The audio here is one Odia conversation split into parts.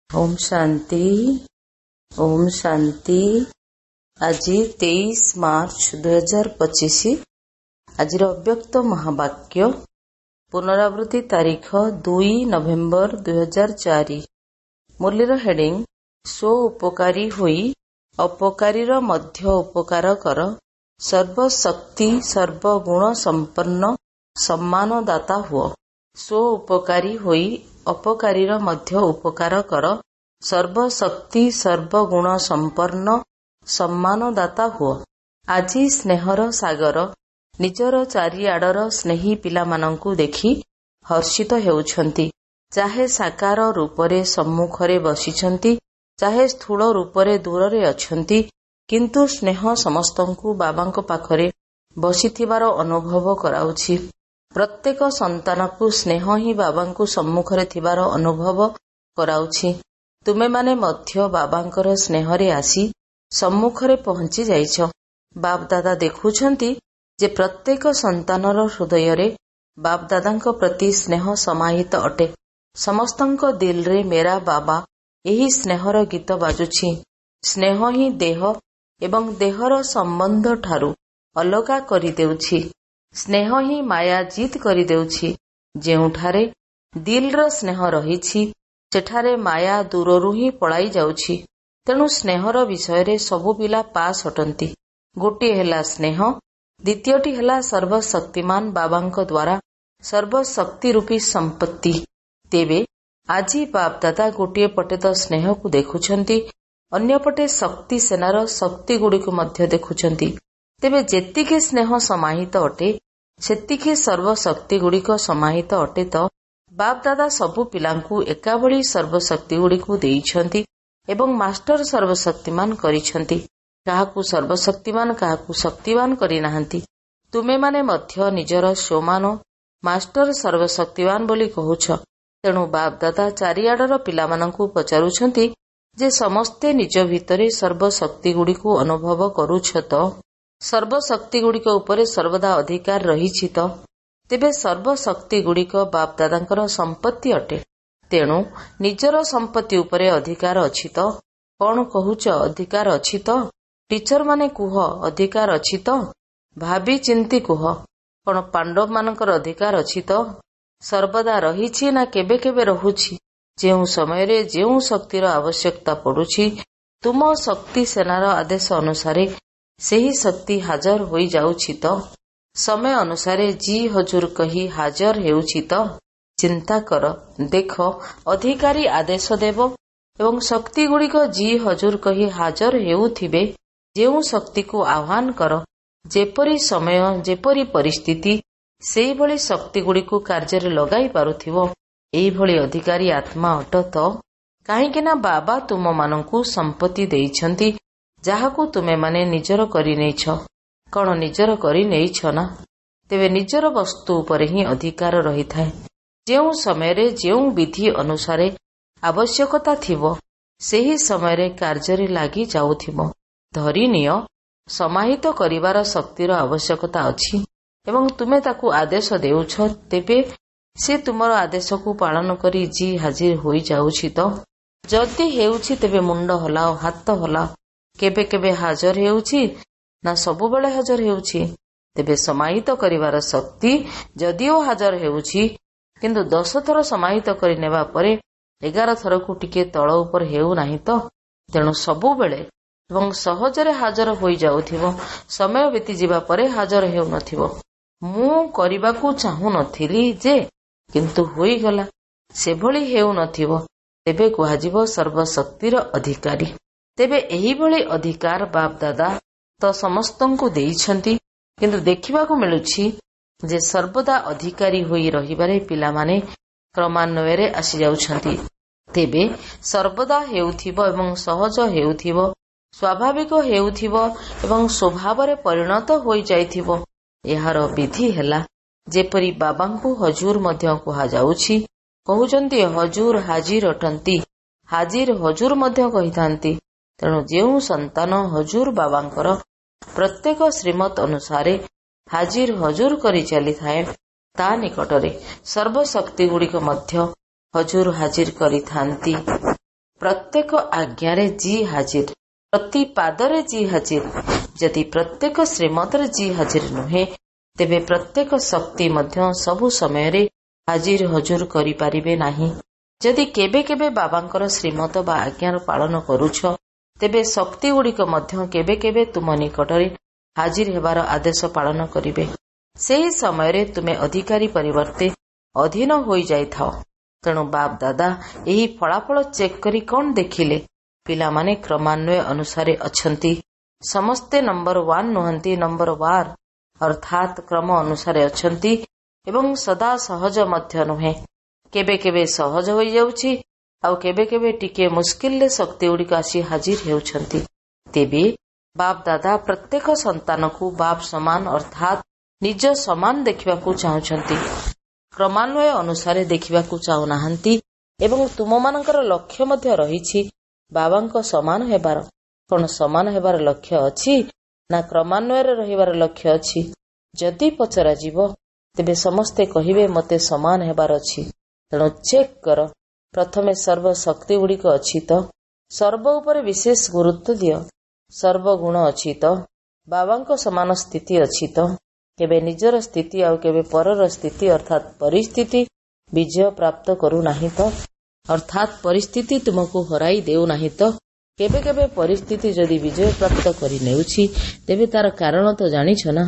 ଓମ୍ ଶାନ୍ତି, ଓମ୍ ଶାନ୍ତି। ଆଜି 23 ମାର୍ଚ୍ଚ 2025। ଆଜିର ଅବ୍ୟକ୍ତ ମହାବାକ୍ୟ ପୁନରାବୃତ୍ତି ତାରିଖ 2 ନଭେମ୍ବର 2004। ମୁରଲୀର ହେଡିଂ, ସ୍ୱ ଉପକାରୀ ହୋଇ ଅପକାରୀର ମଧ୍ୟ ଉପକାର କର, ସର୍ବଶକ୍ତି ସର୍ବଗୁଣ ସମ୍ପନ୍ନ ସମ୍ମାନଦାତା ହୁଅ। ସ୍ୱ ଉପକାରୀ ହୋଇ ଅପକାରୀର ମଧ୍ୟ ଉପକାର କର, ସର୍ବଶକ୍ତି ସର୍ବଗୁଣ ସମ୍ପନ୍ନ ସମ୍ମାନଦାତା ହୁଅ। ଆଜି ସ୍ନେହର ସାଗର ନିଜର ଚାରିଆଡ଼ର ସ୍ନେହୀ ପିଲାମାନଙ୍କୁ ଦେଖି ହର୍ଷିତ ହେଉଛନ୍ତି। ଚାହେ ସାକାର ରୂପରେ ସମ୍ମୁଖରେ ବସିଛନ୍ତି, ଚାହେ ସ୍ଥୂଳ ରୂପରେ ଦୂରରେ ଅଛନ୍ତି, କିନ୍ତୁ ସ୍ନେହ ସମସ୍ତଙ୍କୁ ବାବାଙ୍କ ପାଖରେ ବସିଥିବାର ଅନୁଭବ କରାଉଛି। ପ୍ରତ୍ୟେକ ସନ୍ତାନକୁ ସ୍ନେହ ହିଁ ବାବାଙ୍କୁ ସମ୍ମୁଖରେ ଥିବାର ଅନୁଭବ କରାଉଛି। ତୁମେମାନେ ମଧ୍ୟ ବାବାଙ୍କର ସ୍ନେହରେ ଆସି ସମ୍ମୁଖରେ ପହଞ୍ଚି ଯାଇଛ। ବାପଦାଦା ଦେଖୁଛନ୍ତି ଯେ ପ୍ରତ୍ୟେକ ସନ୍ତାନର ହୃଦୟରେ ବାପଦାଦାଙ୍କ ପ୍ରତି ସ୍ନେହ ସମାହିତ ଅଟେ। ସମସ୍ତଙ୍କ ଦିଲରେ ମେରା ବାବା ଏହି ସ୍ନେହର ଗୀତ ବାଜୁଛି। ସ୍ନେହ ହିଁ ଦେହ ଏବଂ ଦେହର ସମ୍ବନ୍ଧ ଠାରୁ ଅଲଗା କରିଦେଉଛି। ସ୍ନେହ ହିଁ ମାୟା ଜିତ୍ କରିଦେଉଛି। ଯେଉଁଠାରେ ଦିଲର ସ୍ନେହ ରହିଛି, ସେଠାରେ ମାୟା ଦୂରରୁ ହିଁ ପଳାଇ ଯାଉଛି। ତେଣୁ ସ୍ନେହର ବିଷୟରେ ସବୁ ପିଲା ପାସ୍ ଅଟନ୍ତି। ଗୋଟିଏ ହେଲା ସ୍ନେହ, ଦ୍ୱିତୀୟଟି ହେଲା ସର୍ବଶକ୍ତିମାନ ବାବାଙ୍କ ଦ୍ୱାରା ସର୍ବଶକ୍ତି ରୂପୀ ସମ୍ପତ୍ତି। ତେବେ ଆଜି ବାପଦାଦା ଗୋଟିଏ ପଟେ ତ ସ୍ନେହକୁ ଦେଖୁଛନ୍ତି, ଅନ୍ୟପଟେ ଶକ୍ତି ସେନାର ଶକ୍ତିଗୁଡ଼ିକୁ ମଧ୍ୟ ଦେଖୁଛନ୍ତି। ତେବେ ଯେତିକି ସ୍ନେହ ସମାହିତ ଅଟେ, ସେତିକି ସର୍ବଶକ୍ତିଗୁଡ଼ିକ ସମାହିତ ଅଟେ ତ? ବାପଦାଦା ସବୁ ପିଲାଙ୍କୁ ଏକାଭଳି ସର୍ବଶକ୍ତିଗୁଡ଼ିକୁ ଦେଇଛନ୍ତି ଏବଂ ମାଷ୍ଟର ସର୍ବଶକ୍ତିମାନ କରିଛନ୍ତି। କାହାକୁ ସର୍ବଶକ୍ତିମାନ, କାହାକୁ ଶକ୍ତିବାନ କରିନାହାନ୍ତି। ତୁମେମାନେ ମଧ୍ୟ ନିଜର ସ୍ୱମାନ ମାଷ୍ଟର ସର୍ବଶକ୍ତିବାନ ବୋଲି କହୁଛ। ତେଣୁ ବାପଦାଦା ଚାରିଆଡ଼ର ପିଲାମାନଙ୍କୁ ପଚାରୁଛନ୍ତି ଯେ ସମସ୍ତେ ନିଜ ଭିତରେ ସର୍ବଶକ୍ତିଗୁଡ଼ିକୁ ଅନୁଭବ କରୁଛ ତ? ସର୍ବଶକ୍ତିଗୁଡ଼ିକ ଉପରେ ସର୍ବଦା ଅଧିକାର ରହିଛି ତ? ତେବେ ସର୍ବଶକ୍ତିଗୁଡ଼ିକ ବାପଦାଦାଙ୍କର ସମ୍ପତ୍ତି ଅଟେ। ତେଣୁ ନିଜର ସମ୍ପତ୍ତି ଉପରେ ଅଧିକାର ଅଛି ତ? କଣ କହୁଛ, ଅଧିକାର ଅଛି ତ? ଟିଚର ମାନେ କୁହ, ଅଧିକାର ଅଛି ତ? ଭାବି ଚିନ୍ତି କୁହ, କଣ ପାଣ୍ଡବମାନଙ୍କର ଅଧିକାର ଅଛି ତ? ସର୍ବଦା ରହିଛି ନା କେବେ କେବେ ରହୁଛି? ଯେଉଁ ସମୟରେ ଯେଉଁ ଶକ୍ତିର ଆବଶ୍ୟକତା ପଡୁଛି, ତୁମ ଶକ୍ତି ସେନାର ଆଦେଶ ଅନୁସାରେ ସେହି ଶକ୍ତି ହାଜର ହୋଇଯାଉଛି ତ? ସମୟ ଅନୁସାରେ ଜି ହଜୁର କହି ହାଜର ହେଉଛି ତ? ଚିନ୍ତା କର, ଦେଖ, ଅଧିକାରୀ ଆଦେଶ ଦେବ ଏବଂ ଶକ୍ତିଗୁଡ଼ିକ ଜି ହଜୁର କହି ହାଜର ହେଉଥିବେ। ଯେଉଁ ଶକ୍ତିକୁ ଆହ୍ୱାନ କର, ଯେପରି ସମୟ, ଯେପରି ପରିସ୍ଥିତି, ସେଇଭଳି ଶକ୍ତିଗୁଡ଼ିକୁ କାର୍ଯ୍ୟରେ ଲଗାଇ ପାରୁଥିବ, ଏଇଭଳି ଅଧିକାରୀ ଆତ୍ମା ଅଟ ତ? କାହିଁକି ନା ବାବା ତୁମମାନଙ୍କୁ ସମ୍ପତ୍ତି ଦେଇଛନ୍ତି, ଯାହାକୁ ତୁମେମାନେ ନିଜର କରିନେଇଛ। କଣ ନିଜର କରିନେଇଛ ନା? ତେବେ ନିଜର ବସ୍ତୁ ଉପରେ ହିଁ ଅଧିକାର ରହିଥାଏ। ଯେଉଁ ସମୟରେ ଯେଉଁ ବିଧି ଅନୁସାରେ ଆବଶ୍ୟକତା ଥିବ, ସେହି ସମୟରେ କାର୍ଯ୍ୟରେ ଲାଗି ଯାଉଥିବ। ଧରିନିଅ ସମାହିତ କରିବାର ଶକ୍ତିର ଆବଶ୍ୟକତା ଅଛି ଏବଂ ତୁମେ ତାକୁ ଆଦେଶ ଦେଉଛ, ତେବେ ସେ ତୁମର ଆଦେଶକୁ ପାଳନ କରି ଜି ହାଜିର ହୋଇଯାଉଛି ତ? ଯଦି ହେଉଛି, ତେବେ ମୁଣ୍ଡ ହଲାଅ, ହାତ ହଲାଅ। କେବେ କେବେ ହାଜର ହେଉଛି ନା ସବୁବେଳେ ହାଜର ହେଉଛି? ତେବେ ସମାହିତ କରିବାର ଶକ୍ତି ଯଦିଓ ହାଜର ହେଉଛି, କିନ୍ତୁ 10 ଥର ସମାହିତ କରିନେବା ପରେ 11 ଥରକୁ ଟିକେ ତଳ ଉପର ହେଉନାହିଁ ତ? ତେଣୁ ସବୁବେଳେ ଏବଂ ସହଜରେ ହାଜର ହୋଇଯାଉଥିବ, ସମୟ ବିତିଯିବା ପରେ ହାଜର ହେଉନଥିବ। ମୁଁ କରିବାକୁ ଚାହୁଁନଥିଲି ଯେ, କିନ୍ତୁ ହୋଇଗଲା, ସେଭଳି ହେଉନଥିବ, ତେବେ କୁହାଯିବ ସର୍ବଶକ୍ତିର ଅଧିକାରୀ। ତେବେ ଏହିଭଳି ଅଧିକାର ବାପଦାଦା ତ ସମସ୍ତଙ୍କୁ ଦେଇଛନ୍ତି, କିନ୍ତୁ ଦେଖିବାକୁ ମିଳୁଛି ଯେ ସର୍ବଦା ଅଧିକାରୀ ହୋଇ ରହିବାରେ ପିଲାମାନେ କ୍ରମାନ୍ୱୟରେ ଆସିଯାଉଛନ୍ତି। ତେବେ ସର୍ବଦା ହେଉଥିବ ଏବଂ ସହଜ ହେଉଥିବ, ସ୍ୱାଭାବିକ ହେଉଥିବ ଏବଂ ସ୍ୱଭାବରେ ପରିଣତ ହୋଇଯାଇଥିବ, ଏହାର ବିଧି ହେଲା ଯେପରି ବାବାଙ୍କୁ ହଜୁର ମଧ୍ୟ କୁହାଯାଉଛି। କହୁଛନ୍ତି ହଜୁର ହାଜିର ଅଟନ୍ତି, ହାଜିର ହଜୁର ମଧ୍ୟ କହିଥାନ୍ତି। ତେଣୁ ଯେଉଁ ସନ୍ତାନ ହଜୁର ବାବାଙ୍କର ପ୍ରତ୍ୟେକ ଶ୍ରୀମତ ଅନୁସାରେ ହାଜିର ହଜୁର କରି ଚାଲିଥାଏ, ତା ନିକଟରେ ସର୍ବଶକ୍ତିଗୁଡ଼ିକ ମଧ୍ୟ ହଜୁର ହାଜିର କରିଥାନ୍ତି। ପ୍ରତ୍ୟେକ ଆଜ୍ଞାରେ ଜି ହାଜିର, ପ୍ରତି ପାଦରେ ଜି ହାଜିର। ଯଦି ପ୍ରତ୍ୟେକ ଶ୍ରୀମତରେ ଜି ହାଜିର ନୁହେଁ, ତେବେ ପ୍ରତ୍ୟେକ ଶକ୍ତି ମଧ୍ୟ ସବୁ ସମୟରେ ହାଜିର ହଜୁର କରିପାରିବେ ନାହିଁ। ଯଦି କେବେ କେବେ ବାବାଙ୍କର ଶ୍ରୀମତ ବା ଆଜ୍ଞାର ପାଳନ କରୁଛ, ତେବେ ଶକ୍ତିଗୁଡ଼ିକ ମଧ୍ୟ କେବେ କେବେ ତୁମ ନିକଟରେ ହାଜିର ହେବାର ଆଦେଶ ପାଳନ କରିବେ। ସେହି ସମୟରେ ତୁମେ ଅଧିକାରୀ ପରିବର୍ତ୍ତେ ଅଧୀନ ହୋଇଯାଇଥାଅ। ତେଣୁ ବାପ ଦାଦା ଏହି ଫଳାଫଳ ଚେକ୍ କରି କଣ ଦେଖିଲେ? ପିଲାମାନେ କ୍ରମାନ୍ୱୟ ଅନୁସାରେ ଅଛନ୍ତି। ସମସ୍ତେ ନମ୍ବର 1 ନୁହନ୍ତି, ନମ୍ବର 1 ଅର୍ଥାତ୍ କ୍ରମ ଅନୁସାରେ ଅଛନ୍ତି ଏବଂ ସଦା ସହଜ ମଧ୍ୟ ନୁହେଁ। କେବେ କେବେ ସହଜ ହୋଇଯାଉଛି, ଆଉ କେବେ କେବେ ଟିକିଏ ମୁସ୍କିଲରେ ଶକ୍ତିଗୁଡ଼ିକ ଆସି ହାଜିର ହେଉଛନ୍ତି। ତେବେ ବାପ ଦାଦା ପ୍ରତ୍ୟେକ ସନ୍ତାନକୁ ବାପ ସମାନ ଅର୍ଥାତ୍ ନିଜ ସମାନ ଦେଖିବାକୁ ଚାହୁଁଛନ୍ତି, କ୍ରମାନ୍ୱୟ ଅନୁସାରେ ଦେଖିବାକୁ ଚାହୁଁନାହାନ୍ତି। ଏବଂ ତୁମମାନଙ୍କର ଲକ୍ଷ୍ୟ ମଧ୍ୟ ରହିଛି ବାବାଙ୍କ ସମାନ ହେବାର। କଣ ସମାନ ହେବାର ଲକ୍ଷ୍ୟ ଅଛି ନା କ୍ରମାନ୍ୱୟରେ ରହିବାର ଲକ୍ଷ୍ୟ ଅଛି? ଯଦି ପଚରାଯିବ ତେବେ ସମସ୍ତେ କହିବେ ମୋତେ ସମାନ ହେବାର ଅଛି। ତେଣୁ ଚେକ୍ କର, ପ୍ରଥମେ ସର୍ବ ଶକ୍ତିଗୁଡ଼ିକ ଅଛି ତ? ସର୍ବ ଉପରେ ବିଶେଷ ଗୁରୁତ୍ୱ ଦିଅ। ସର୍ବଗୁଣ ଅଛି ତ? ବାବାଙ୍କ ସମାନ ସ୍ଥିତି ଅଛି ତ? କେବେ ନିଜର ସ୍ଥିତି ଆଉ କେବେ ପରର ସ୍ଥିତି ଅର୍ଥାତ୍ ପରିସ୍ଥିତି ବିଜୟ ପ୍ରାପ୍ତ କରୁନାହିଁ ତ? ଅର୍ଥାତ୍ ପରିସ୍ଥିତି ତୁମକୁ ହରାଇ ଦେଉନାହିଁ ତ? କେବେ କେବେ ପରିସ୍ଥିତି ଯଦି ବିଜୟ ପ୍ରାପ୍ତ କରିନେଉଛି, ତେବେ ତାର କାରଣ ତ ଜାଣିଛ ନା?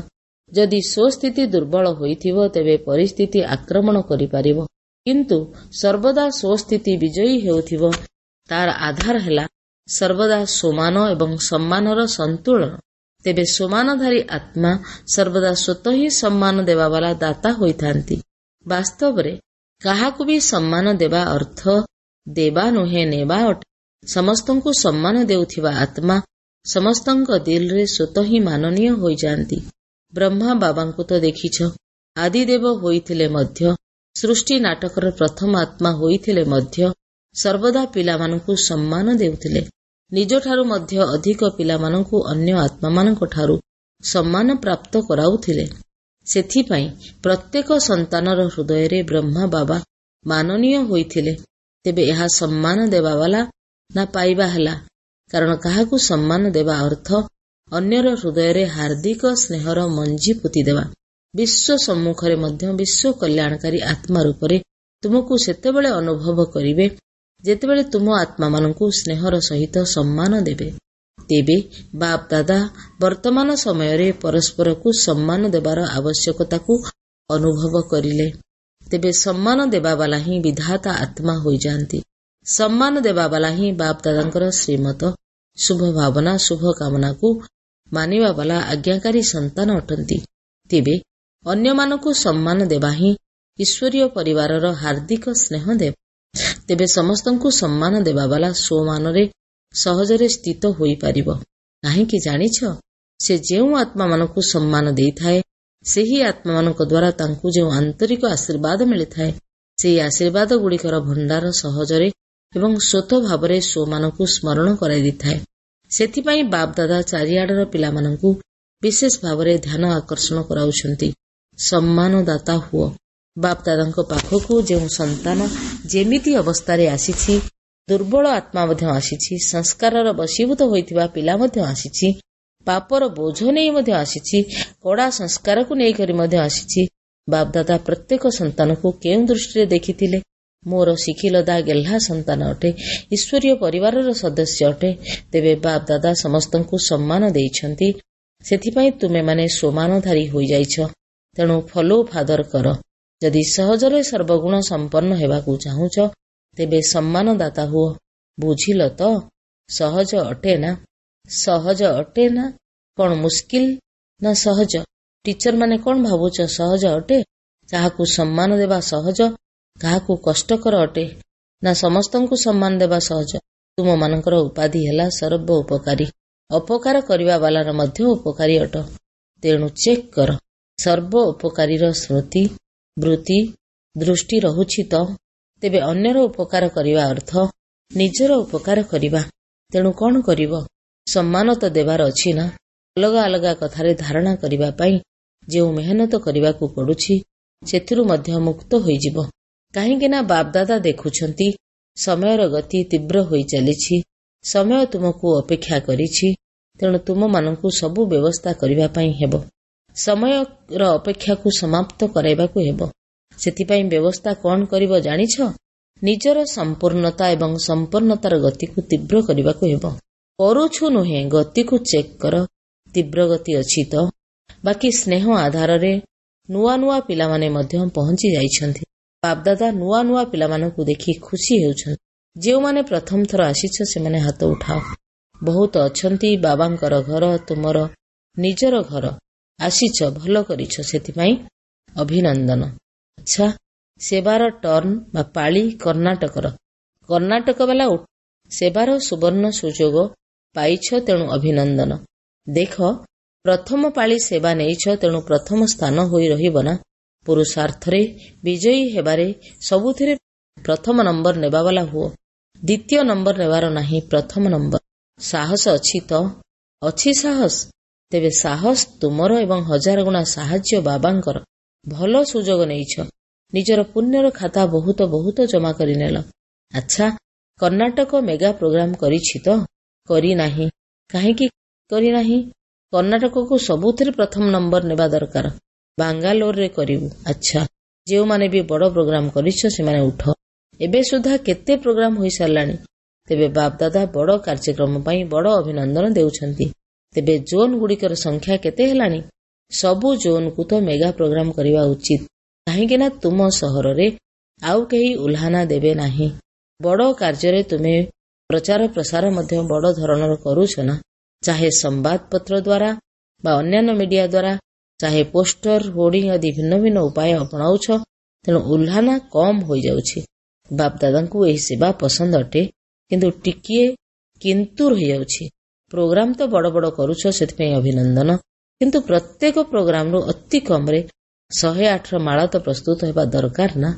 ଯଦି ସ୍ୱସ୍ଥିତି ଦୁର୍ବଳ ହୋଇଥିବ, ତେବେ ପରିସ୍ଥିତି ଆକ୍ରମଣ କରିପାରିବ। କିନ୍ତୁ ସର୍ବଦା ସ୍ୱସ୍ଥିତି ବିଜୟୀ ହେଉଥିବ, ତାର ଆଧାର ହେଲା ସର୍ବଦା ସମାନ ଏବଂ ସମ୍ମାନର ସନ୍ତୁଳନ। ତେବେ ସମାନଧାରୀ ଆତ୍ମା ସର୍ବଦା ସ୍ୱତଃ ହିଁ ସମ୍ମାନ ଦେବାବାଲା ଦାତା ହୋଇଥାନ୍ତି। ବାସ୍ତବରେ କାହାକୁ ବି ସମ୍ମାନ ଦେବା ଅର୍ଥ ଦେବା ନୁହେଁ, ନେବା ଅଟେ। ସମସ୍ତଙ୍କୁ ସମ୍ମାନ ଦେଉଥିବା ଆତ୍ମା ସମସ୍ତଙ୍କ ଦିଲରେ ସ୍ୱତଃ ହିଁ ମାନନୀୟ ହୋଇଯାଆନ୍ତି। ବ୍ରହ୍ମା ବାବାଙ୍କୁ ତ ଦେଖିଛ, ଆଦିଦେବ ହୋଇଥିଲେ ମଧ୍ୟ, ସୃଷ୍ଟି ନାଟକର ପ୍ରଥମ ଆତ୍ମା ହୋଇଥିଲେ ମଧ୍ୟ ସର୍ବଦା ପିଲାମାନଙ୍କୁ ସମ୍ମାନ ଦେଉଥିଲେ। ନିଜଠାରୁ ମଧ୍ୟ ଅଧିକ ପିଲାମାନଙ୍କୁ ଅନ୍ୟ ଆତ୍ମାମାନଙ୍କ ଠାରୁ ସମ୍ମାନ ପ୍ରାପ୍ତ କରାଉଥିଲେ। ସେଥିପାଇଁ ପ୍ରତ୍ୟେକ ସନ୍ତାନର ହୃଦୟରେ ବ୍ରହ୍ମା ବାବା ମାନନୀୟ ହୋଇଥିଲେ। ତେବେ ଏହା ସମ୍ମାନ ଦେବାବାଲା ନା ପାଇବା ହେଲା? କାରଣ କାହାକୁ ସମ୍ମାନ ଦେବା ଅର୍ଥ ଅନ୍ୟର ହୃଦୟରେ ହାର୍ଦ୍ଦିକ ସ୍ନେହର ମଞ୍ଜି ପୋତିଦେବା। ବିଶ୍ୱ ସମ୍ମୁଖରେ ମଧ୍ୟ ବିଶ୍ୱ କଲ୍ୟାଣକାରୀ ଆତ୍ମା ରୂପରେ ତୁମକୁ ସେତେବେଳେ ଅନୁଭବ କରିବେ, ଯେତେବେଳେ ତୁମ ଆତ୍ମାମାନଙ୍କୁ ସ୍ନେହର ସହିତ ସମ୍ମାନ ଦେବେ। ତେବେ ବାପ ଦାଦା ବର୍ତ୍ତମାନ ସମୟରେ ପରସ୍ପରକୁ ସମ୍ମାନ ଦେବାର ଆବଶ୍ୟକତାକୁ ଅନୁଭବ କରିଲେ। ତେବେ ସମ୍ମାନ ଦେବାବାଲା ହିଁ ବିଧାତା ଆତ୍ମା ହୋଇଯାଆନ୍ତି। ସମ୍ମାନ ଦେବାବାଲା ହିଁ ବାପ ଦାଦାଙ୍କର ଶ୍ରୀମତ, ଶୁଭ ଭାବନା, ଶୁଭ କାମନାକୁ ମାନିବାବାଲା ଆଜ୍ଞାକାରୀ ସନ୍ତାନ ଅଟନ୍ତି। ତେବେ ଅନ୍ୟମାନଙ୍କୁ ସମ୍ମାନ ଦେବା ହିଁ ଈଶ୍ୱରୀୟ ପରିବାରର ହାର୍ଦ୍ଦିକ ସ୍ନେହ ଦେବ। ତେବେ ସମସ୍ତଙ୍କୁ ସମ୍ମାନ ଦେବାବାଲା ସ୍ୱମାନରେ ସହଜରେ ସ୍ଥିତ ହୋଇପାରିବ। କାହିଁକି ଜାଣିଛ? ସେ ଯେଉଁ ଆତ୍ମାମାନଙ୍କୁ ସମ୍ମାନ ଦେଇଥାଏ, ସେହି ଆତ୍ମାମାନଙ୍କ ଦ୍ୱାରା ତାଙ୍କୁ ଯେଉଁ ଆନ୍ତରିକ ଆଶୀର୍ବାଦ ମିଳିଥାଏ, ସେହି ଆଶୀର୍ବାଦ ଗୁଡ଼ିକର ଭଣ୍ଡାର ସହଜରେ ଏବଂ ସ୍ୱତଃ ଭାବରେ ସ୍ୱମାନଙ୍କୁ ସ୍ମରଣ କରାଇ ଦେଇଥାଏ। ସେଥିପାଇଁ ବାପଦାଦା ଚାରିଆଡ଼ର ପିଲାମାନଙ୍କୁ ବିଶେଷ ଭାବରେ ଧ୍ୟାନ ଆକର୍ଷଣ କରାଉଛନ୍ତି। ସମ୍ମାନଦାତା ହୁଅ। ବାପଦାଦାଙ୍କ ପାଖକୁ ଯେଉଁ ସନ୍ତାନ ଯେମିତି ଅବସ୍ଥାରେ ଆସିଛି, ଦୁର୍ବଳ ଆତ୍ମା ମଧ୍ୟ ଆସିଛି, ସଂସ୍କାରର ବଶୀଭୂତ ହୋଇଥିବା ପିଲା ମଧ୍ୟ ଆସିଛି, ପାପର ବୋଝ ନେଇ ମଧ୍ୟ ଆସିଛି, କଡ଼ା ସଂସ୍କାରକୁ ନେଇକରି ମଧ୍ୟ ଆସିଛି, ବାପଦାଦା ପ୍ରତ୍ୟେକ ସନ୍ତାନକୁ କେଉଁ ଦୃଷ୍ଟିରେ ଦେଖିଥିଲେ? ମୋର ଶିଖିଲଦା ଗେହ୍ଲା ସନ୍ତାନ ଅଟେ, ଈଶ୍ୱରୀୟ ପରିବାରର ସଦସ୍ୟ ଅଟେ। ତେବେ ବାପଦାଦା ସମସ୍ତଙ୍କୁ ସମ୍ମାନ ଦେଇଛନ୍ତି, ସେଥିପାଇଁ ତୁମେମାନେ ସ୍ୱମାନଧାରୀ ହୋଇଯାଇଛ। ତେଣୁ ଫଲୋ ଫାଦର କର। ଯଦି ସହଜରେ ସର୍ବଗୁଣ ସମ୍ପନ୍ନ ହେବାକୁ ଚାହୁଁଛ, ତେବେ ସମ୍ମାନଦାତା ହୁଅ। ବୁଝିଲ ତ? ସହଜ ଅଟେ ନା? ସହଜ ଅଟେ ନା? କଣ ମୁସ୍କିଲ ନା ସହଜ? ଟିଚର ମାନେ କଣ ଭାବୁଛ, ସହଜ ଅଟେ? କାହାକୁ ସମ୍ମାନ ଦେବା ସହଜ, କାହାକୁ କଷ୍ଟକର ଅଟେ, ନା ସମସ୍ତଙ୍କୁ ସମ୍ମାନ ଦେବା ସହଜ? ତୁମମାନଙ୍କର ଉପାଧି ହେଲା ସର୍ବ ଉପକାରୀ। ଅପକାର କରିବା ବାଲାର ମଧ୍ୟ ଉପକାରୀ ଅଟ। ତେଣୁ ଚେକ୍ କର, ସର୍ବ ଉପକାରୀର ସ୍ମୃତି, ବୃତ୍ତି, ଦୃଷ୍ଟି ରହୁଛି ତ? ତେବେ ଅନ୍ୟର ଉପକାର କରିବା ଅର୍ଥ ନିଜର ଉପକାର କରିବା। ତେଣୁ କଣ କରିବ? ସମ୍ମାନ ତ ଦେବାର ଅଛି ନା? ଅଲଗା ଅଲଗା କଥାରେ ଧାରଣା କରିବା ପାଇଁ ଯେଉଁ ମେହନତ କରିବାକୁ ପଡୁଛି, ସେଥିରୁ ମଧ୍ୟ ମୁକ୍ତ ହୋଇଯିବ। କାହିଁକି ନା ବାପଦାଦା ଦେଖୁଛନ୍ତି ସମୟର ଗତି ତୀବ୍ର ହୋଇ ଚାଲିଛି। ସମୟ ତୁମକୁ ଅପେକ୍ଷା କରିଛି, ତେଣୁ ତୁମମାନଙ୍କୁ ସବୁ ବ୍ୟବସ୍ଥା କରିବା ପାଇଁ ହେବ। ସମୟର ଅପେକ୍ଷାକୁ ସମାପ୍ତ କରାଇବାକୁ ହେବ। ସେଥିପାଇଁ ବ୍ୟବସ୍ଥା କଣ କରିବ ଜାଣିଛ? ନିଜର ସମ୍ପୂର୍ଣ୍ଣତା ଏବଂ ସମ୍ପନ୍ନତାର ଗତିକୁ ତୀବ୍ର କରିବାକୁ ହେବ। କରୁଛୁ ନୁହେଁ, ଗତିକୁ ଚେକ୍ କର, ତୀବ୍ର ଗତି ଅଛି ତ? ବାକି ସ୍ନେହ ଆଧାରରେ ନୂଆ ନୂଆ ପିଲାମାନେ ମଧ୍ୟ ପହଞ୍ଚି ଯାଇଛନ୍ତି। ବାପଦାଦା ନୂଆ ନୂଆ ପିଲାମାନଙ୍କୁ ଦେଖି ଖୁସି ହେଉଛନ୍ତି। ଯେଉଁମାନେ ପ୍ରଥମ ଥର ଆସିଛ, ସେମାନେ ହାତ ଉଠାଅ। ବହୁତ ଅଛନ୍ତି। ବାବାଙ୍କର ଘର ତୁମର ନିଜର ଘର। ଆସିଛ, ଭଲ କରିଛ, ସେଥିପାଇଁ ଅଭିନନ୍ଦନ। ଆଚ୍ଛା, ସେବାର ଟର୍ନ ବା ପାଳି କର୍ଣ୍ଣାଟକର। କର୍ଣ୍ଣାଟକ ବାଲା ସେବାର ସୁବର୍ଣ୍ଣ ସୁଯୋଗ ପାଇଛ, ତେଣୁ ଅଭିନନ୍ଦନ। ଦେଖ, ପ୍ରଥମ ପାଳି ସେବା ନେଇଛ, ତେଣୁ ପ୍ରଥମ ସ୍ଥାନ ହୋଇ ରହିବ ନା। ପୁରୁଷାର୍ଥରେ ବିଜୟୀ ହେବାରେ ସବୁଥିରେ ପ୍ରଥମ ନମ୍ବର ନେବାବାଲା ହୁଅ। ଦ୍ୱିତୀୟ ନମ୍ବର ନେବାର ନାହିଁ, ପ୍ରଥମ ନମ୍ବର। ସାହସ ଅଛି ତ? ଅଛି ସାହସ? ତେବେ ସାହସ ତୁମର ଏବଂ ହଜାର ଗୁଣା ସାହାଯ୍ୟ ବାବାଙ୍କର। ଭଲ ସୁଯୋଗ ନେଇଛ, ନିଜର ପୁଣ୍ୟର ଖାତା ବହୁତ ବହୁତ ଜମା କରିନେଲ। ଆଚ୍ଛା, କର୍ଣ୍ଣାଟକ ମେଗା ପ୍ରୋଗ୍ରାମ କରିଛି ତ? କରିନାହିଁ। କାହିଁକି କରିନାହିଁ? କର୍ଣ୍ଣାଟକକୁ ସବୁଥିରେ ପ୍ରଥମ ନମ୍ବର ନେବା ଦରକାର। ବାଙ୍ଗାଲୋରରେ କରିବୁ। ଆଚ୍ଛା, ଯେଉଁମାନେ ବି ବଡ ପ୍ରୋଗ୍ରାମ କରିଛ, ସେମାନେ ଉଠ। ଏବେ ସୁଦ୍ଧା କେତେ ପ୍ରୋଗ୍ରାମ ହୋଇସାରିଲାଣି? ତେବେ ବାପଦାଦା ବଡ କାର୍ଯ୍ୟକ୍ରମ ପାଇଁ ବଡ ଅଭିନନ୍ଦନ ଦେଉଛନ୍ତି। ତେବେ ଜୋନ୍ ଗୁଡ଼ିକର ସଂଖ୍ୟା କେତେ ହେଲାଣି? ସବୁ ଜୋନ୍କୁ ତ ମେଗା ପ୍ରୋଗ୍ରାମ କରିବା ଉଚିତ, କାହିଁକି ନା ତୁମ ସହରରେ ଆଉ କେହି ଉଲ୍ହାନା ଦେବେ ନାହିଁ। ବଡ କାର୍ଯ୍ୟରେ ତୁମେ ପ୍ରଚାର ପ୍ରସାର ମଧ୍ୟ ବଡ ଧରଣର କରୁଛ ନା, ଚାହେ ସମ୍ବାଦପତ୍ର ଦ୍ୱାରା ବା ଅନ୍ୟାନ୍ୟ ମିଡିଆ ଦ୍ୱାରା, ଚାହେ ପୋଷ୍ଟର, ହୋର୍ଡିଂ ଆଦି ଭିନ୍ନ ଭିନ୍ନ ଉପାୟ ଅପଣାଉଛ, ତେଣୁ ଉଲ୍ହାନା କମ୍ ହୋଇଯାଉଛି। ବାପଦାଦାଙ୍କୁ ଏହି ସେବା ପସନ୍ଦ ଅଟେ, କିନ୍ତୁ ଟିକିଏ କିନ୍ତୁ ରହିଯାଉଛି। ପ୍ରୋଗ୍ରାମ ତ ବଡ ବଡ କରୁଛ, ସେଥିପାଇଁ ଅଭିନନ୍ଦନ, କିନ୍ତୁ ପ୍ରତ୍ୟେକ ପ୍ରୋଗ୍ରାମରୁ ଅତି କମରେ 108ର ମାଳା ତ ପ୍ରସ୍ତୁତ ହେବା ଦରକାର ନା,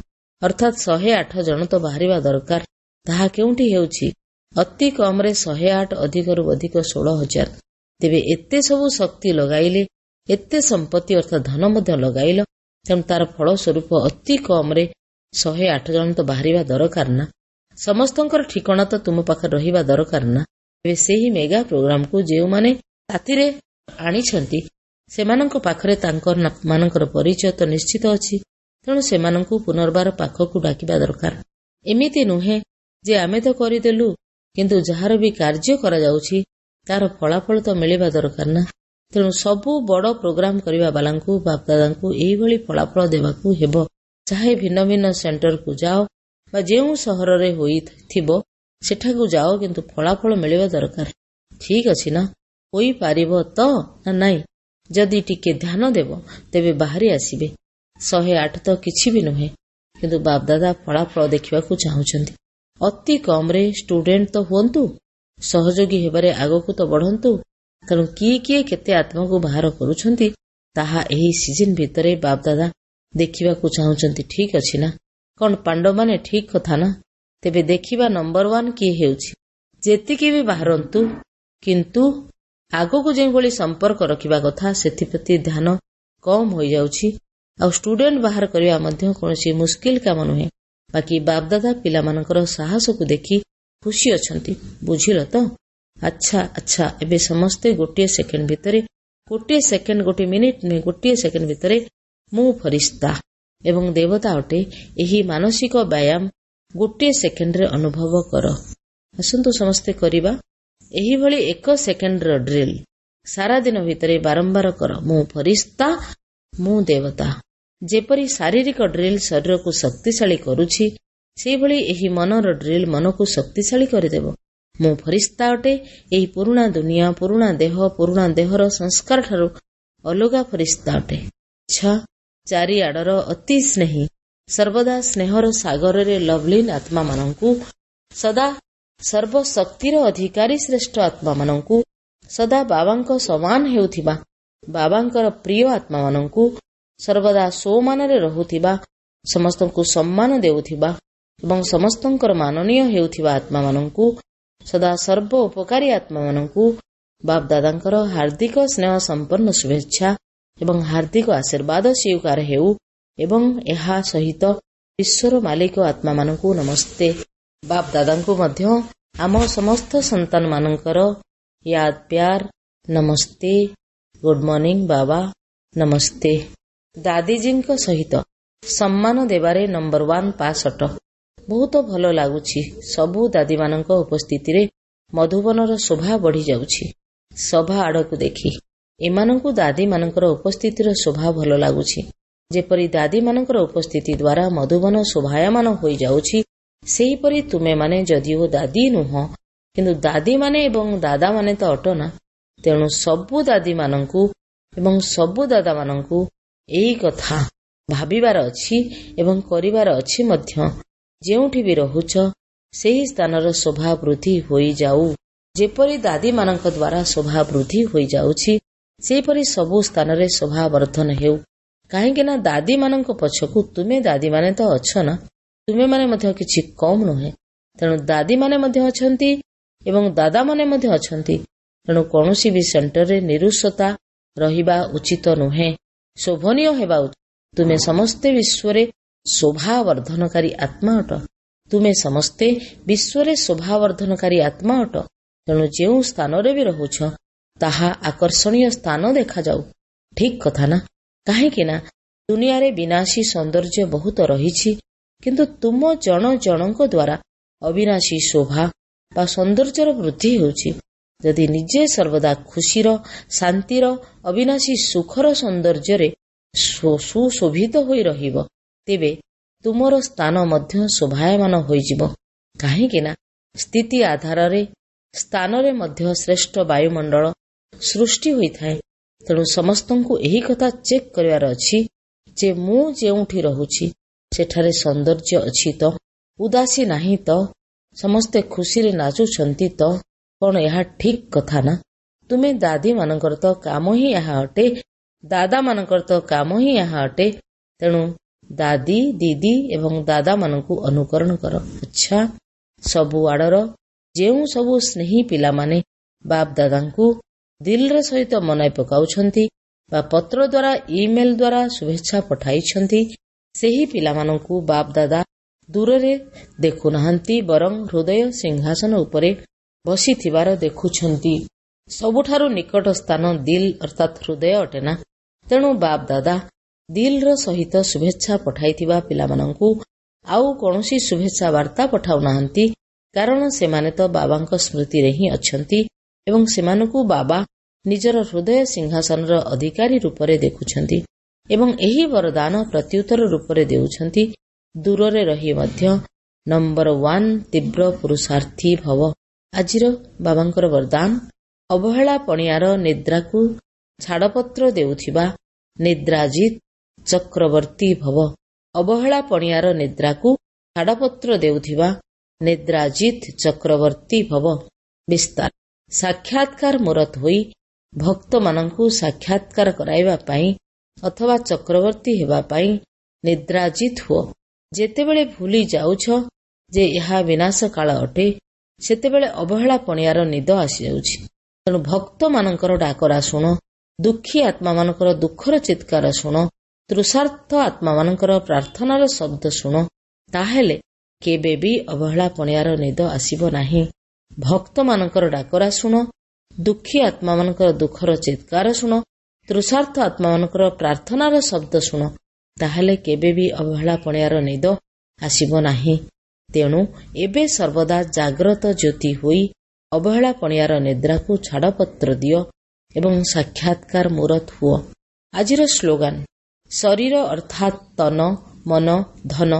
ଅର୍ଥାତ୍ 108 ଜଣ ତ ବାହାରିବା ଦରକାର। ତାହା କେଉଁଠି ହେଉଛି? ଅତି କମରେ 108, ଅଧିକରୁ ଅଧିକ 16,000। ତେବେ ଏତେ ସବୁ ଶକ୍ତି ଲଗାଇଲେ, ଏତେ ସମ୍ପତ୍ତି ଅର୍ଥାତ୍ ଧନ ମଧ୍ୟ ଲଗାଇଲ, ତେଣୁ ତାର ଫଳ ସ୍ୱରୂପ ଅତି କମରେ 108 ଜଣ ତ ବାହାରିବା ଦରକାର ନା। ସମସ୍ତଙ୍କର ଠିକଣା ତ ତୁମ ପାଖରେ ରହିବା ଦରକାର ନା। ଏବେ ସେହି ମେଗା ପ୍ରୋଗ୍ରାମକୁ ଯେଉଁମାନେ ସାଥିରେ ଆଣିଛନ୍ତି, ସେମାନଙ୍କ ପାଖରେ ତାଙ୍କ ମାନଙ୍କର ପରିଚୟ ତ ନିଶ୍ଚିତ ଅଛି, ତେଣୁ ସେମାନଙ୍କୁ ପୁନର୍ବାର ପାଖକୁ ଡାକିବା ଦରକାର। ଏମିତି ନୁହେଁ ଯେ ଆମେ ତ କରିଦେଲୁ, କିନ୍ତୁ ଯାହାର ବି କାର୍ଯ୍ୟ କରାଯାଉଛି ତାର ଫଳାଫଳ ତ ମିଳିବା ଦରକାର ନା। ତେଣୁ ସବୁ ବଡ ପ୍ରୋଗ୍ରାମ କରିବା ବାଲାଙ୍କୁ ବାପଦାଦାଙ୍କୁ ଏଇଭଳି ଫଳାଫଳ ଦେବାକୁ ହେବ। ଚାହେ ଭିନ୍ନ ଭିନ୍ନ ସେଣ୍ଟରକୁ ଯାଅ ବା ଯେଉଁ ସହରରେ ହୋଇଥିବ ସେଠାକୁ ଯାଅ, କିନ୍ତୁ ଫଳାଫଳ ମିଳିବା ଦରକାର। ଠିକ ଅଛି ନା? ହୋଇପାରିବ ତ ନା ନାଇଁ? ଯଦି ଟିକେ ଧ୍ୟାନ ଦେବ ତେବେ ବାହାରି ଆସିବେ। 108 ତ କିଛି ବି ନୁହେଁ, କିନ୍ତୁ ବାପଦାଦା ଫଳାଫଳ ଦେଖିବାକୁ ଚାହୁଁଛନ୍ତି। ଅତି କମରେ ଷ୍ଟୁଡେଣ୍ଟ ତ ହୁଅନ୍ତୁ, ସହଯୋଗୀ ହେବାରେ ଆଗକୁ ତ ବଢନ୍ତୁ। ତେଣୁ କିଏ କିଏ କେତେ ଆତ୍ମାକୁ ବାହାର କରୁଛନ୍ତି, ତାହା ଏହି ସିଜିନ ଭିତରେ ବାପଦାଦା ଦେଖିବାକୁ ଚାହୁଁଛନ୍ତି। ଠିକ ଅଛି ନା? କଣ ପାଣ୍ଡବମାନେ ଠିକ କଥା ନା? ତେବେ ଦେଖିବା ନମ୍ବର 1 କିଏ ହେଉଛି। ଯେତିକି ବି ବାହାରନ୍ତୁ, କିନ୍ତୁ ଆଗକୁ ଯେଉଁଭଳି ସମ୍ପର୍କ ରଖିବା କଥା ସେଥିପ୍ରତି ଧ୍ୟାନ କମ୍ ହୋଇଯାଉଛି। ଆଉ ଷ୍ଟୁଡେଣ୍ଟ ବାହାର କରିବା ମଧ୍ୟ କୌଣସି ମୁସ୍କିଲ କାମ ନୁହେଁ। ବାକି ବାପଦାଦା ପିଲାମାନଙ୍କର ସାହସକୁ ଦେଖି ଖୁସି ଅଛନ୍ତି। ବୁଝିଲ ତ? ଆଚ୍ଛା ଆଚ୍ଛା, ଏବେ ସମସ୍ତେ ଗୋଟିଏ ସେକେଣ୍ଡ ଭିତରେ, ଗୋଟିଏ ସେକେଣ୍ଡ, ଗୋଟିଏ ମିନିଟ ନୁହେଁ, ଗୋଟିଏ ସେକେଣ୍ଡ ଭିତରେ ମୁଁ ଫରିସ୍ତା ଏବଂ ଦେବତା ଅଟେ, ଏହି ମାନସିକ ବ୍ୟାୟାମ ଗୋଟିଏ ସେକେଣ୍ଡରେ ଅନୁଭବ କର। ଆସନ୍ତୁ ସମସ୍ତେ କରିବା ଏହିଭଳି 1 ସେକେଣ୍ଡର ଡ୍ରିଲ୍। ସାରା ଦିନ ଭିତରେ ବାରମ୍ବାର କର, ମୁଁ ଫରିସ୍ତା, ମୁଁ ଦେବତା। ଯେପରି ଶାରୀରିକ ଡ୍ରିଲ୍ ଶରୀରକୁ ଶକ୍ତିଶାଳୀ କରୁଛି, ସେହିଭଳି ଏହି ମନର ଡ୍ରିଲ୍ ମନକୁ ଶକ୍ତିଶାଳୀ କରିଦେବ। ମୁଁ ଫରିସ୍ତା ଅଟେ, ଏହି ପୁରୁଣା ଦୁନିଆ, ପୁରୁଣା ଦେହ, ପୁରୁଣା ଦେହର ସଂସ୍କାର ଠାରୁ ଅଲଗା ଫରିସ୍ତା ଅଟେ। ଆଚ୍ଛା, ଚାରିଆଡର ଅତି ସ୍ନେହୀ, ସର୍ବଦା ସ୍ନେହର ସାଗରରେ ଲଭଲିନ ଆତ୍ମାମାନଙ୍କୁ, ସଦା ସର୍ବଶକ୍ତିର ଅଧିକାରୀ ଶ୍ରେଷ୍ଠ ଆତ୍ମାମାନଙ୍କୁ, ସଦା ବାବାଙ୍କ ସମାନ ହେଉଥିବା ବାବାଙ୍କର ପ୍ରିୟ ଆତ୍ମାମାନଙ୍କୁ, ସର୍ବଦା ସ୍ୱମାନରେ ରହୁଥିବା, ସମସ୍ତଙ୍କୁ ସମ୍ମାନ ଦେଉଥିବା ଏବଂ ସମସ୍ତଙ୍କର ମାନନୀୟ ହେଉଥିବା ଆତ୍ମାମାନଙ୍କୁ, ସଦା ସର୍ବ ଉପକାରୀ ଆତ୍ମାମାନଙ୍କୁ ବାପଦାଦାଙ୍କର ହାର୍ଦ୍ଦିକ ସ୍ନେହ ସମ୍ପନ୍ନ ଶୁଭେଚ୍ଛା ଏବଂ ହାର୍ଦ୍ଦିକ ଆଶୀର୍ବାଦ ସ୍ୱୀକାର ହେଉ। ଏବଂ ଏହା ସହିତ ବିଶ୍ୱର ମାଲିକ ଆତ୍ମାମାନଙ୍କୁ ନମସ୍ତେ। ବାପ ଦାଦାଙ୍କୁ ମଧ୍ୟ ଆମ ସମସ୍ତ ସନ୍ତାନମାନଙ୍କର ୟାଦ ପ୍ୟାର ନମସ୍ତେ, ଗୁଡ୍ ମର୍ଣ୍ଣିଂ ବାବା, ନମସ୍ତେ। ଦାଦିଜୀଙ୍କ ସହିତ ସମ୍ମାନ ଦେବାରେ ନମ୍ବର 1 ପାସ୍ ଅଟ। ବହୁତ ଭଲ ଲାଗୁଛି। ସବୁ ଦାଦୀମାନଙ୍କ ଉପସ୍ଥିତିରେ ମଧୁବନର ଶୋଭା ବଢ଼ିଯାଉଛି। ସଭା ଆଡ଼କୁ ଦେଖି ଏମାନଙ୍କୁ ଦାଦୀମାନଙ୍କର ଉପସ୍ଥିତିର ଶୋଭା ଭଲ ଲାଗୁଛି। ଯେପରି ଦାଦୀମାନଙ୍କର ଉପସ୍ଥିତି ଦ୍ୱାରା ମଧୁବନ ଶୋଭାୟମାନ ହୋଇଯାଉଛି, ସେହିପରି ତୁମେମାନେ ଯଦିଓ ଦାଦୀ ନୁହଁ, କିନ୍ତୁ ଦାଦୀମାନେ ଏବଂ ଦାଦାମାନେ ତ ଅଟ ନା। ତେଣୁ ସବୁ ଦାଦୀମାନଙ୍କୁ ଏବଂ ସବୁ ଦାଦାମାନଙ୍କୁ ଏହି କଥା ଭାବିବାର ଅଛି ଏବଂ କରିବାର ଅଛି ମଧ୍ୟ। ଯେଉଁଠି ବି ରହୁଛ ସେହି ସ୍ଥାନର ଶୋଭା ବୃଦ୍ଧି ହୋଇଯାଉ। ଯେପରି ଦାଦୀମାନଙ୍କ ଦ୍ୱାରା ଶୋଭା ବୃଦ୍ଧି ହୋଇଯାଉଛି, ସେହିପରି ସବୁ ସ୍ଥାନରେ ଶୋଭା ବର୍ଦ୍ଧନ ହେଉ। କାହିଁକି ନା ଦାଦୀମାନଙ୍କ ପଛକୁ ତୁମେ ଦାଦୀମାନେ ତ ଅଛ ନା, ତୁମେମାନେ ମଧ୍ୟ କିଛି କମ୍ ନୁହେଁ। ତେଣୁ ଦାଦୀମାନେ ମଧ୍ୟ ଅଛନ୍ତି ଏବଂ ଦାଦାମାନେ ମଧ୍ୟ ଅଛନ୍ତି। ତେଣୁ କୌଣସି ବି ସେଣ୍ଟରରେ ନିରୁସତା ରହିବା ଉଚିତ ନୁହେଁ, ଶୋଭନୀୟ ହେବା ଉଚିତ। ତୁମେ ସମସ୍ତେ ବିଶ୍ୱରେ ଶୋଭା ବର୍ଦ୍ଧନକାରୀ ଆତ୍ମା ଅଟ। ତୁମେ ସମସ୍ତେ ବିଶ୍ୱରେ ଶୋଭା ବର୍ଦ୍ଧନକାରୀ ଆତ୍ମା ଅଟ। ତେଣୁ ଯେଉଁ ସ୍ଥାନରେ ବି ରହୁଛ ତାହା ଆକର୍ଷଣୀୟ ସ୍ଥାନ ଦେଖାଯାଉ। ଠିକ୍ କଥା ନା? କାହିଁକି ନା ଦୁନିଆରେ ବିନାଶୀ ସୌନ୍ଦର୍ଯ୍ୟ ବହୁତ ରହିଛି, କିନ୍ତୁ ତୁମ ଜଣ ଜଣଙ୍କ ଦ୍ୱାରା ଅବିନାଶୀ ଶୋଭା ବା ସୌନ୍ଦର୍ଯ୍ୟର ବୃଦ୍ଧି ହେଉଛି। ଯଦି ନିଜେ ସର୍ବଦା ଖୁସିର, ଶାନ୍ତିର, ଅବିନାଶୀ ସୁଖର ସୌନ୍ଦର୍ଯ୍ୟରେ ସୁଶୋଭିତ ହୋଇ ରହିବ, ତେବେ ତୁମର ସ୍ଥାନ ମଧ୍ୟ ଶୋଭାୟମାନ ହୋଇଯିବ। କାହିଁକି ନା ସ୍ଥିତି ଆଧାରରେ ସ୍ଥାନରେ ମଧ୍ୟ ଶ୍ରେଷ୍ଠ ବାୟୁମଣ୍ଡଳ ସୃଷ୍ଟି ହୋଇଥାଏ। ତେଣୁ ସମସ୍ତଙ୍କୁ ଏହି କଥା ଚେକ୍ କରିବାର ଅଛି ଯେ ମୁଁ ଯେଉଁଠି ରହୁଛି ସେଠାରେ ସୌନ୍ଦର୍ଯ୍ୟ ଅଛି ତ, ଉଦାସୀ ନାହିଁ ତ, ସମସ୍ତେ ଖୁସିରେ ନାଚୁଛନ୍ତି ତ? କଣ ଏହା ଠିକ୍ କଥା ନା? ତୁମେ ଦାଦୀମାନଙ୍କର ତ କାମ ହିଁ ଏହା ଅଟେ, ଦାଦାମାନଙ୍କର ତ କାମ ହିଁ ଏହା ଅଟେ। ତେଣୁ ଦାଦି, ଦିଦି ଏବଂ ଦାଦାମାନଙ୍କୁ ଅନୁକରଣ କର। ଆଚ୍ଛା, ସବୁ ଆଡ଼ର ଯେଉଁ ସବୁ ସ୍ନେହୀ ପିଲାମାନେ ବାପ ଦାଦାଙ୍କୁ ଦିଲର ସହିତ ମନାଇ ପକାଉଛନ୍ତି ବା ପତ୍ର ଦ୍ୱାରା, ଇମେଲ ଦ୍ୱାରା ଶୁଭେଚ୍ଛା ପଠାଇଛନ୍ତି, ସେହି ପିଲାମାନଙ୍କୁ ବାପ ଦାଦା ଦୂରରେ ଦେଖୁନାହାନ୍ତି, ବରଂ ହୃଦୟ ସିଂହାସନ ଉପରେ ବସିଥିବାର ଦେଖୁଛନ୍ତି। ସବୁଠାରୁ ନିକଟ ସ୍ଥାନ ଦିଲ ଅର୍ଥାତ୍ ହୃଦୟ ଅଟେ ନା। ତେଣୁ ବାପ ଦାଦା ଦିଲର ସହିତ ଶୁଭେଚ୍ଛା ପଠାଇଥିବା ପିଲାମାନଙ୍କୁ ଆଉ କୌଣସି ଶୁଭେଚ୍ଛା ବାର୍ତ୍ତା ପଠାଉନାହାନ୍ତି, କାରଣ ସେମାନେ ତ ବାବାଙ୍କ ସ୍ମୃତିରେ ହିଁ ଅଛନ୍ତି ଏବଂ ସେମାନଙ୍କୁ ବାବା ନିଜର ହୃଦୟ ସିଂହାସନର ଅଧିକାରୀ ରୂପରେ ଦେଖୁଛନ୍ତି ଏବଂ ଏହି ବରଦାନ ପ୍ରତ୍ୟୁତ୍ତର ରୂପରେ ଦେଉଛନ୍ତି। ଦୂରରେ ରହି ମଧ୍ୟ ନମ୍ବର 1 ତୀବ୍ର ପୁରୁଷାର୍ଥୀ ଭବ। ଆଜିର ବାବାଙ୍କର ବରଦାନ, ଅବହେଳା ପଣିଆର ନିଦ୍ରାକୁ ଛାଡ଼ପତ୍ର ଦେଉଥିବା ନିଦ୍ରାଜିତ ଚକ୍ରବର୍ତ୍ତୀ ଭବ। ଅବହେଳା ପଣିଆର ନିଦ୍ରାକୁ ଛାଡ଼ପତ୍ର ଦେଉଥିବା ନିଦ୍ରାଜିତ ଚକ୍ରବର୍ତ୍ତୀ ଭବ। ବିସ୍ତାର ସାକ୍ଷାତକାର ମୂରତ ହୋଇ ଭକ୍ତମାନଙ୍କୁ ସାକ୍ଷାତକାର କରାଇବା ପାଇଁ ଅଥବା ଚକ୍ରବର୍ତ୍ତୀ ହେବା ପାଇଁ ନିଦ୍ରାଜିତ ହୁଅ। ଯେତେବେଳେ ଭୁଲି ଯାଉଛ ଯେ ଏହା ବିନାଶ କାଳ ଅଟେ, ସେତେବେଳେ ଅବହେଳା ପଣିଆର ନିଦ ଆସିଯାଉଛି। ତେଣୁ ଭକ୍ତମାନଙ୍କର ଡାକରା ଶୁଣ, ଦୁଃଖୀ ଆତ୍ମାମାନଙ୍କର ଦୁଃଖର ଚିତ୍କାର ଶୁଣ, ତୃଷାର୍ଥ ଆତ୍ମାମାନଙ୍କର ପ୍ରାର୍ଥନାର ଶବ୍ଦ ଶୁଣ, ତାହେଲେ କେବେ ବି ଅବହେଳା ପଣିଆର ନିଦ ଆସିବ ନାହିଁ। ଭକ୍ତମାନଙ୍କର ଡାକରା ଶୁଣ, ଦୁଃଖୀ ଆତ୍ମାମାନଙ୍କର ଦୁଃଖର ଚିତ୍କାର ଶୁଣ, ତୃଷାର୍ଥ ଆତ୍ମାମାନଙ୍କର ପ୍ରାର୍ଥନାର ଶବ୍ଦ ଶୁଣ, ତାହେଲେ କେବେ ବି ଅବହେଳା ପଣିଆର ନିଦ ଆସିବ ନାହିଁ। ତେଣୁ ଏବେ ସର୍ବଦା ଜାଗ୍ରତ ଜ୍ୟୋତି ହୋଇ ଅବହେଳା ପଣିଆର ନିଦ୍ରାକୁ ଛାଡ଼ପତ୍ର ଦିଅ ଏବଂ ସାକ୍ଷାତକାର ମୂରତ ହୁଅ। ଆଜିର ସ୍ଲୋଗାନ, ଶରୀର ଅର୍ଥାତ୍ ତନ, ମନ, ଧନ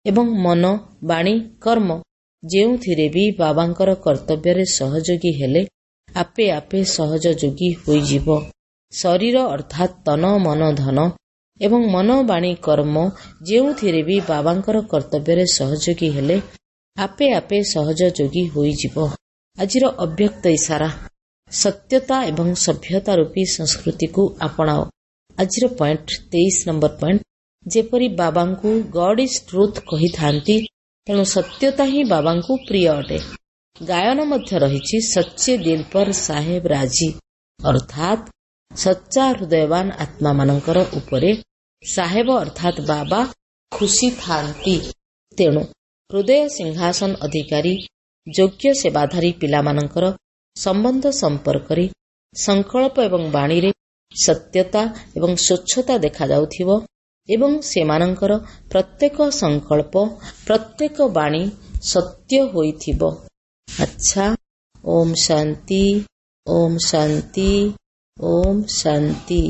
ଏବଂ ମନ, ବାଣୀ, କର୍ମ ଯେଉଁଥିରେ ବି ବାବାଙ୍କର କର୍ତ୍ତବ୍ୟରେ ସହଯୋଗୀ ହେଲେ ଆପେ ଆପେ ସହଜଯୋଗୀ ହୋଇଯିବ। ଶରୀର ଅର୍ଥାତ୍ ତନ, ମନ, ଧନ ଏବଂ ମନ, ବାଣୀ, କର୍ମ ଯେଉଁଥିରେ ବି ବାବାଙ୍କର କର୍ତ୍ତବ୍ୟରେ ସହଯୋଗୀ ହେଲେ ଆପେ ଆପେ ସହଜଯୋଗୀ ହୋଇଯିବ। ଆଜିର ଅବ୍ୟକ୍ତ ଇସାରା, ସତ୍ୟତା ଏବଂ ସଭ୍ୟତା ରୂପୀ ସଂସ୍କୃତିକୁ ଆପଣାଅ। ଆଜିର ପଏଣ୍ଟ 23 ନମ୍ବର ପଏଣ୍ଟ, ଯେପରି ବାବାଙ୍କୁ ଗଡ୍ is truth କହିଥାନ୍ତି, ତେଣୁ ସତ୍ୟତା ହିଁ ବାବାଙ୍କୁ ପ୍ରିୟ ଅଟେ। ଗାୟନ ମଧ୍ୟ ରହିଛି ସଚ୍ଚେ ଦିଲ ପର ସାହେବ ରାଜି, ଅର୍ଥାତ୍ ସଚ୍ଚା ହୃଦୟବାନ ଆତ୍ମାମାନଙ୍କର ଉପରେ ସାହେବ ଅର୍ଥାତ୍ ବାବା ଖୁସି ଥାନ୍ତି। ତେଣୁ ହୃଦୟ ସିଂହାସନ ଅଧିକାରୀ ଯୋଗ୍ୟ ସେବାଧାରୀ ପିଲାମାନଙ୍କର ସମ୍ବନ୍ଧ ସମ୍ପର୍କରେ ସଂକଳ୍ପ ଏବଂ ବାଣୀରେ ସତ୍ୟତା ଏବଂ ସ୍ୱଚ୍ଛତା ଦେଖାଯାଉଥିବ ଏବଂ ସେମାନଙ୍କର ପ୍ରତ୍ୟେକ ସଂକଳ୍ପ, ପ୍ରତ୍ୟେକ ବାଣୀ ସତ୍ୟ ହୋଇଥିବ। ଆଚ୍ଛା, ଓମ୍ ଶାନ୍ତି, ଓମ୍ ଶାନ୍ତି, ଓମ୍ ଶାନ୍ତି।